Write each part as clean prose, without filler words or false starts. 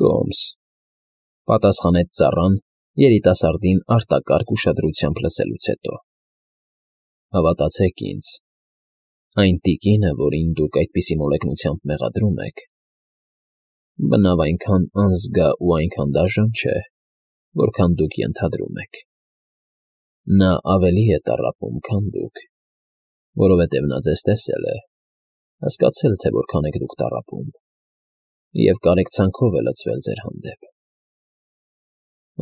Կոմս,֊ պատասխանեց ծառան երիտասարդին արտակարգ ուշադրությամբ լսելուց հետո,֊ հավատացեք ինձ, այն տիկինը, որին դուք այդպիսի մոլեգնությամբ մեղադրում եք, բնավ այնքան անզգա ու այնքան դաժան չէ, որքան դուք ենթադրում եք. նա ավելի է տառապում, քան դուք, որովհետև նա ձեզ տեսել է, հասկացել, թե որքան եք դուք տառապում, և կարեկցանքով է լցվել ձեր հանդեպ։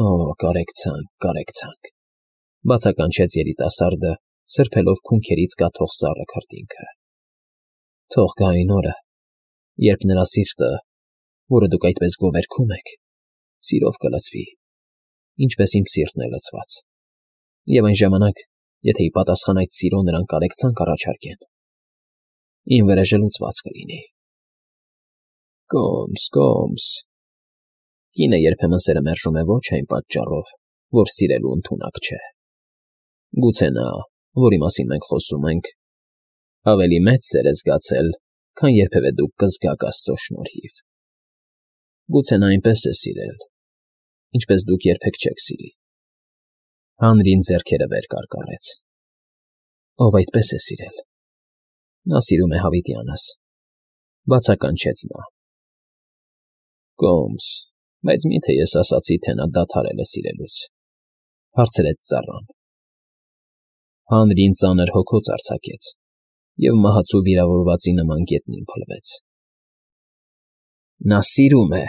֊ Օ, կարեկցանք, կարեկցանք,֊ բացականչեց երիտասարդը, սրբելով քունքերից կաթող սառը քրտինքը։ ֊ Թող գա այն օրը, երբ նրա սիրտը, որը դուք այդպես գովերգում եք, սիրով կլցվի, ինչպես իմ սիրտն է լցված, և այն ժամանակ, եթե ի պատասխան այդ սիրո նրան կարեկցանք առաջարկեն, իմ վրեժը լուծված կլինի։ Կոմս, Կոմս… Կինը երբեմն սերը մերժում է ոչ այն պատճառով, որ սիրելու ընդունակ չէ. գուցե նա, որի մասին մենք խոսում ենք, ավելի մեծ սեր է զգացել, քան երբևէ դուք կզգաք աստծո շնորհիվ. գուցե նա այնպես է սիրել, ինչպես դուք երբեք չեք սիրի… Հանրին ձեռքերը վեր կարկառեց։ Ով այդպես է սիրել, նա սիրում է հավիտյանս,֊ բացականչեց նա։ Կոմս, բայց մի՞թե ես ասացի, թե նա դադարել է սիրելուց,֊ հարցրեց ծառան։ Հանրին ծանր հոգոց արձակեց և մահացու վիրավորվածի նման գետնին փլվեց։ Նա սիրում է,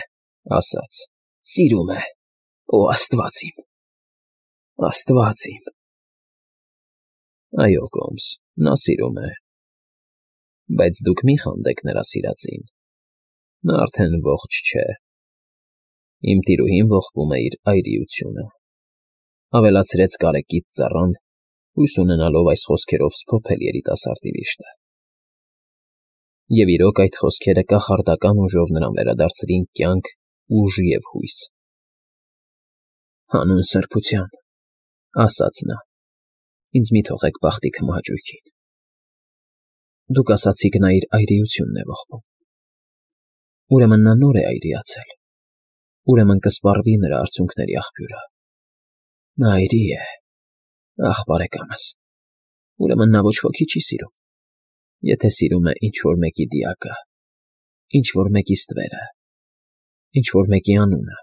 ասաց, սիրում է… Օ, աստված իմ… Աստված իմ… Այո, Կոմս, նա սիրում է… Բայց դուք մի խանդեք նրա սիրածին, նա արդեն ողջ չէ… Իմ տիրուհին ողբում է իր այրիությունը,֊ ավելացրեց կարեկից ծառան, հույս ունենալով այս խոսքերով սփոփել երիտասարդի վիշտը։ Եվ իրոք այդ խոսքերը կախարդական ուժով նրան վերադարձրին կյանք, ուժ և հույս։ Հանուն սրբության,֊ ասաց նա,֊ ինձ մի թողեք բախտի քմահաճույքին… Դուք ասացիք, նա իր այրիությունն է ողբում… Ուրեմն նա նոր է այրիացել… Ուրեմն կսպառվի նրա արցունքների աղբյուրը… Նա այրի է… Ախ, բարեկամս, ուրեմն նա ոչ ոքի չի սիրում… Եթե սիրում է ինչ֊որ մեկի դիակը, ինչ֊որ մեկի ստվերը, ինչ֊որ մեկի անունը…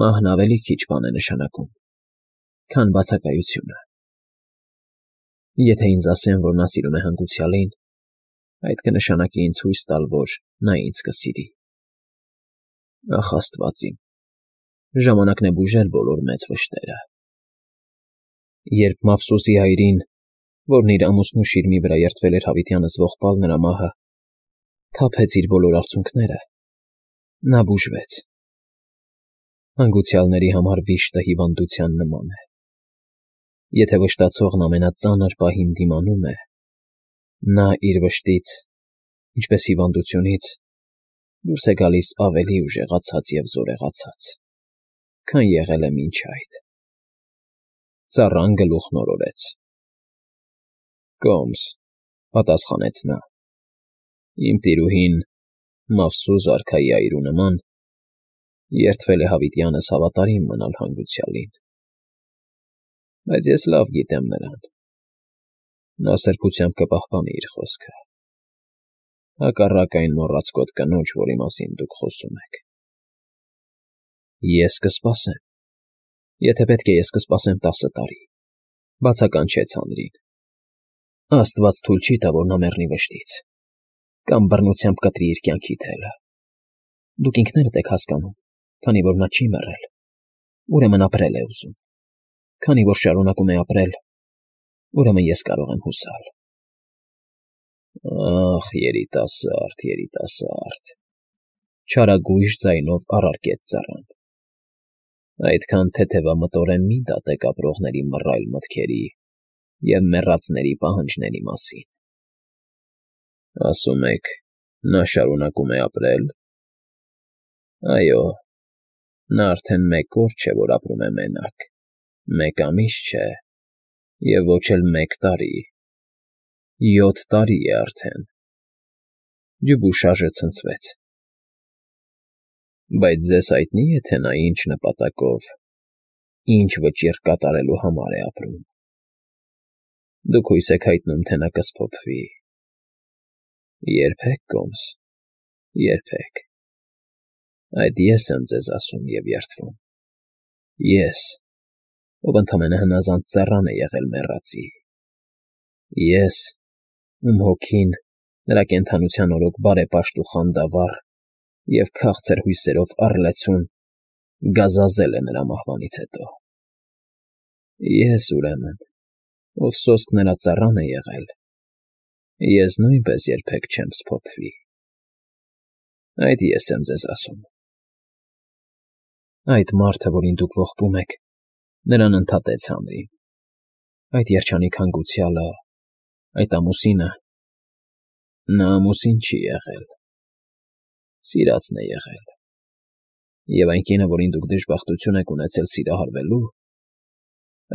Մահն ավելի քիչ բան է նշանակում, քան բացակայությունը… Եթե ինձ ասեն, որ նա սիրում է հանգուցյալին, այդ կնշանակի ինձ հույս տալ, որ նա ինձ կսիրի… Ախ, աստված իմ, ժամանակն է բուժել բոլոր մեծ վշտերը… Երբ Մավսոսի հայրին, որն իր ամուսնու շիրմի վրա երդվել էր հավիտյանս ողբալ նրա մահը, թափեց իր բոլոր արցունքները, նա բուժվեց… Հանգուցյալների համար վիշտը հիվանդության նման է. եթե վշտացողն ամենածանր պահին դիմանում է, նա իր վշտից, ինչպես հիվանդությունից, դուրս է գալիս ավելի ուժեղացած և զորեղացած, քան եղել է մինչ այդ… Ծառան գլուխն օրորեց։ Կոմս,֊ պատասխանեց նա,֊ իմ տիրուհին, Մավսուս արքայի այրու նման, երդվել է հավիտյանս հավատարիմ մնալ հանգուցյալին… Բայց ես լավ գիտեմ նրան… Նա սրբությամբ կպահպանի իր խոսքը… Հակառակ այն մոռացկոտ կնոջ, որի մասին դուք խոսում եք… Ես կսպասեմ… Եթե պետք է, ես կսպասեմ 10 տարի,֊ բացականչեց հանրին… Աստված թույլ չի տա, որ նա մեռնի վշտից, կամ բռնությամբ կտրի իր կյանքի թելը… Դուք ինքներդ եք հասկանում, քանի որ նա չի մեռել, ուրեմն ապրել է ուզում… Քանի որ շարունակում է ապրել, ուրեմն ես կարող եմ հուսալ… Ախ, երիտասարդ, երիտասարդ,֊ չարագույժ ձայնով առարկեց ծառան,֊ այդքան թեթևամտորեն մի դատեք ապրողների մռայլ մտքերի և մեռածների պահանջների մասին… Ասում եք, նա շարունակում է ապրել… Այո, նա արդեն 1 օր չէ, որ ապրում է մենակ, 1 ամիս չէ, և ոչ էլ 1 տարի… 7 տարի է արդեն… Դյուբուշաժը ցնցվեց։ Բայց ձեզ հայտնի է, թե նա ինչ նպատակով, ինչ վճիռ կատարելու համար է ապրում։ Դուք հույս եք հայտնում, թե նա կսփոփվի։ Երբեք, Կոմս, երբեք։ Այդ ես եմ ձեզ ասում և երդվում։ Ես, ով ընդամենը հնազանդ ծառան է եղել մեռածի։ Ես, ում հոգին, նրա կենդանության օրոք բարեպաշտ ու խանդավառ և քաղցր հույսերով առլեցուն գազազել է նրա մահվանից հետո։ Ես, ուրեմն, ով սոսկ նրա ծառան է եղել, ես նույնպես երբեք չեմ սփոփվի։ Այդ ես եմ ձեզ ասում։ Այդ մարդը, որին դուք ողբում եք, նրան ընդհատեց Հանրին։ Այդ երջանիկ հանգուցյալը, այդ ամուսինը, նա ամուսին չի եղել, սիրածն է եղել։ Եվ այն կինը, որին դուք դժբախտություն եք ունեցել սիրահարվելու,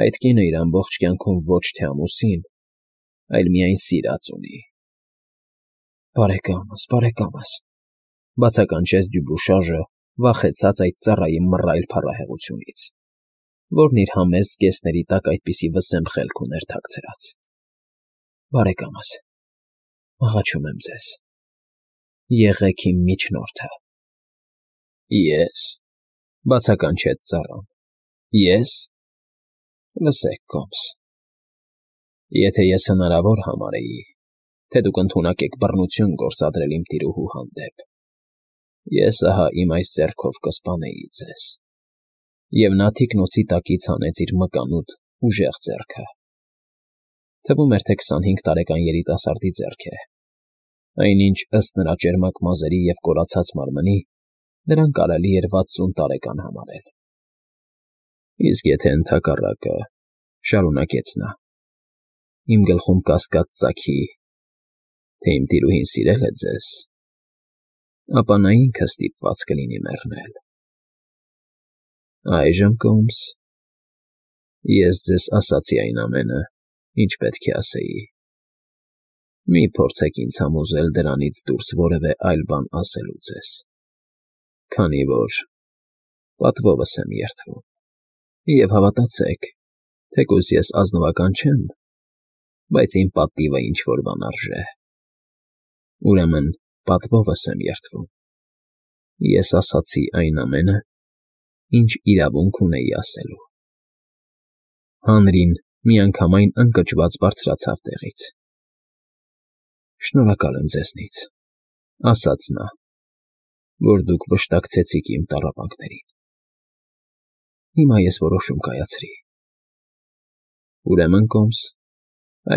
այդ կինը իր ամբողջ կյանքում ոչ թե ամուսին, այլ միայն սիրած ունի։ Բարեկամս, բացականչեց Դյուբուշաժը, վախեցած այդ ծառայի մռայլ փառահեղությունից, որն իր համեստ կեսների տակ այդպիսի վսեմ խելք ուներ թաքցրած։ Բարեկամս, աղաչում եմ ձեզ, եղեք իմ միջնորդը։ Ես, բացականչեց ծառան, ես։ Լսեք, Կոմս, եթե ես հնարավոր համարեի, թե դուք ընդունակ եք բռնություն գործադրել իմ տիրուհու հանդեպ, ես ահա իմ այս ձեռքով կսպանեի ձեզ։ Եվ նա թիկնոցի տակից հանեց իր մկանուտ, ուժեղ ձեռքը։ Թվում էր, թե 25 տարեկան երիտասարդի ձեռք է, այնինչ ըստ նրա ճերմակ մազերի և կորացած մարմնի, նրան կարելի էր 60 տարեկան համարել։ Իսկ եթե ընդհակառակը, շարունակեց նա, իմ գլխում կասկած ծագի, թե իմ տիրուհին սիրել է ձեզ, ապա նա ինքը ստիպված կլինի մեռնել։ Այժմ, Կոմս, ես ձեզ ասացի այն ամենը, ինչ պետք է ասեի։ Մի փորձեք ինձ համոզել դրանից դուրս որևէ այլ բան ասելու ձեզ, քանի որ պատվովս եմ երդվում։ Եվ հավատացեք, թեկուզ ես ազնվական չեմ, բայց իմ պատիվը ինչ-որ բան արժե։ Ուրեմն պատվովս եմ երդվում։ Ես ասացի այն ամենը, ինչ իրավունք ունեի ասելու։ Հանրին միանգամայն ընկճված բարձրացավ տեղից։ Շնորհակալ եմ ձեզնից, ասաց նա, որ դուք վշտակցեցիք իմ տառապանքներին։ Հիմա ես որոշում կայացրի։ Ուրեմն, Կոմս,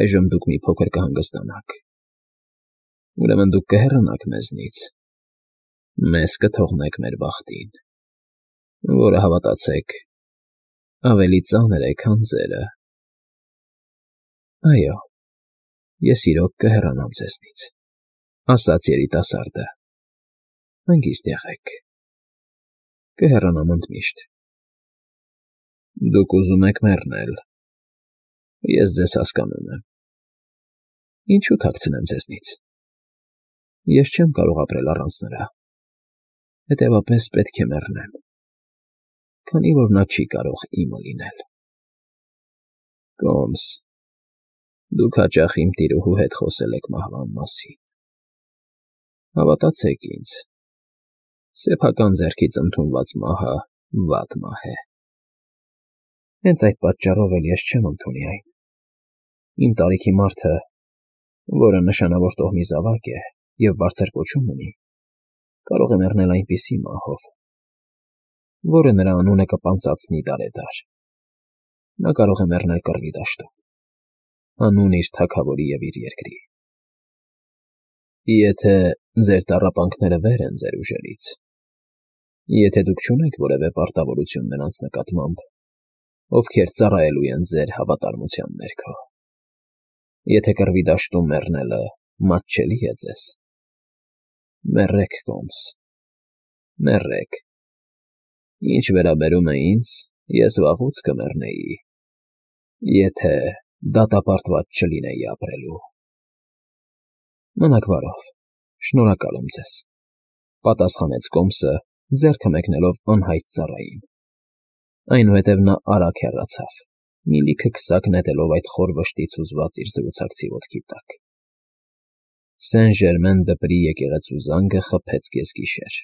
այժմ դուք մի փոքր կհանգստանաք։ Ուրեմն դուք կհեռանաք մեզնից, մեզ կթողնեք մեր բախտին, որը, հավատացեք, ավելի ծանր է, քան ձերը։ Այո, ես իրոք կհեռանամ ձեզնից, ասաց երիտասարդը։ Հանգիստ եղեք։ Կհեռանամ ընդմիշտ։ Դուք ուզում եք մեռնել։ Ես ձեզ հասկանում եմ։ Ինչու թաքցնեմ ձեզնից։ Ես չեմ կարող ապրել առանց նրա։ Հետևաբար պետք է մեռնեմ, քանի որ նա չի կարող իմը լինել։ Կոմս, դուք հաճախ իմ տիրուհու հետ խոսել եք մահվան մասին։ Հավատացեք ինձ, սեփական ձեռքից ընդունված մահը վատ մահ է։ Հենց այդ պատճառով էլ ես չեմ ընդունի այն։ Իմ տարիքի մարդը, որը նշանավոր տոհմի զավակ է և բարձր կոչում ունի, կարող է մեռնել այնպիսի մահով, որը նրա անունը կպանծացնի դարեդար։ Նա կարող է մեռնել կռվի դաշտում, հանուն իր թագավորի և իր երկրի։ Եթե ձեր տառապանքները վեր են ձեր ուժերից, եթե դուք չունեք որևէ պարտավորություն նրանց նկատմամբ, ովքեր ծառայելու են ձեր հավատարմության ներքո, եթե կռվի դաշտում մեռնելը մատչելի է ձեզ, մեռեք, Կոմս, մեռեք։ Ինչ վերաբերում է ինձ, ես վաղուց կմեռնեի, եթե դատապարտված չլինեի ապրելու։ Մնաք բարով, շնորհակալ եմ ձեզ, պատասխանեց Կոմսը ձեռքը մեկնելով անհայտ ծառային։ Այնուհետև նա արագ հեռացավ, մի լիքը քսակ նետելով այդ խոր վշտից հուզված իր զրուցակցի ոտքի տակ։ Սեն Ժերմեն դպրի եկեղեցու զանգը խփեց կեսգիշեր։